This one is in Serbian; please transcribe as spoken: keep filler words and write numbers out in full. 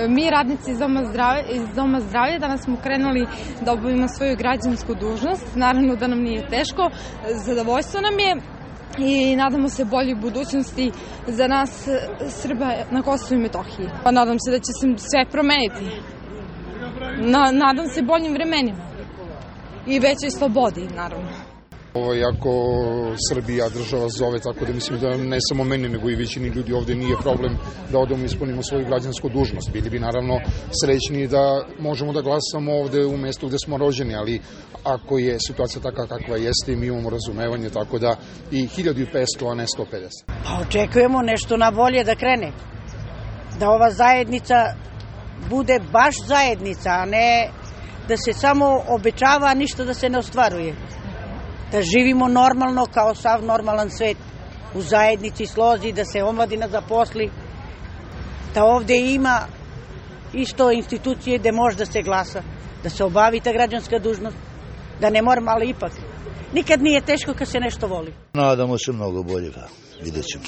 Mi radnici iz Doma zdravlja, iz Doma zdravlja danas smo krenuli da obavimo svoju građansku dužnost. Naravno da nam nije teško, zadovoljstvo nam je i nadamo se boljoj budućnosti za nas Srba na Kosovu i Metohiji. Pa nadam se da će se sve promeniti. Na, nadam se boljim vremenima i većoj slobodi, naravno. Ovo je jako Srbija država zove, tako da mislim da ne samo meni, nego i većini ljudi ovde nije problem da odemo ispunimo svoju građansku dužnost. Bili bi naravno srećni da možemo da glasamo ovde u mestu gde smo rođeni, ali ako je situacija takva kakva jeste, mi imamo razumevanje, tako da i hiljadu petsto, a ne sto pedeset. Pa očekujemo nešto na bolje da krene. Da ova zajednica bude baš zajednica, a ne da se samo obećava, a ništa da se ne ostvaruje. Da živimo normalno kao sav normalan svet, u zajednici, slozi, da se omladina zaposli, da ovde ima isto institucije gde može da se glasa, da se obavi ta građanska dužnost, da ne moram, ali ipak. Nikad nije teško kad se nešto voli. Nadamo se mnogo bolje, vidjet ćemo.